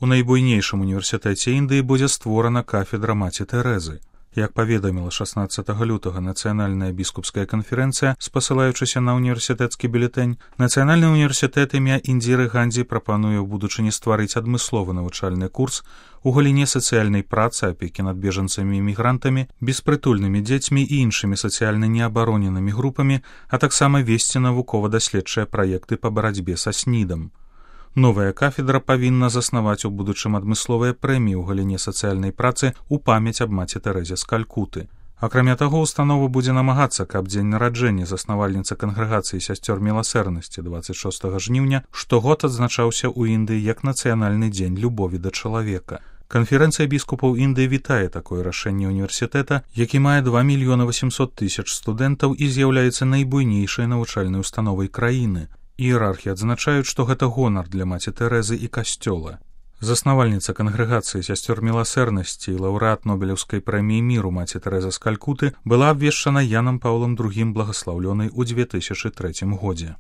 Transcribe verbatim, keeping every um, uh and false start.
У найбуйнейшым універсітэце Індыі будзе створана кафедра Маці Тэрэзы. Як паведаміла шаснаццатага лютага Нацыянальная біскупская канферэнцыя, спасылаючыся на універсітэцкі бюлетэнь, Нацыянальны універсітэт імя Індзіры Гандзі прапануе ў будучыні стварыць адмысловы навучальны курс у галіне сацыяльнай працы, апекі над бежанцамі і мігрантамі, беспрытульнымі дзецьмі і іншымі сацыяльна неабароненымі групамі, а таксама весці навукова-даследчыя праекты па барацьбе са снідам. Новая кафедра павінна заснаваць у будучым адмысловыя прэміі ў галіне сацыяльнай працы ў памяць аб маці Тэрэзе з Калькуты. Акрамя таго, установа будзе намагацца, каб дзень нараджэння заснавальніцы кангрэгацыі сясцёр міласэрнасці дваццаць шостага жніўня штогод адзначаўся ў Індыі як нацыянальны дзень любові да чалавека. Канферэнцыя біскупаў Індыі вітае такое рашэнне універсітэта, які мае два мільёны васемсот тысяч студэнтаў і з'яўляецца найбуйнейшай навучальнай установай краіны. Іерархі адзначаюць, што гэта гонар для маці Тэрэзы і касцёла. Заснавальніца кангрэгацыі сясцёр міласэрнасці і лаўрэат Нобелеўскай прэміі міру маці Тэрэза з Калькуты была абвешчана Янам Паўлам другім благаслаўлёнай у дзве тысячы трэцім годзе.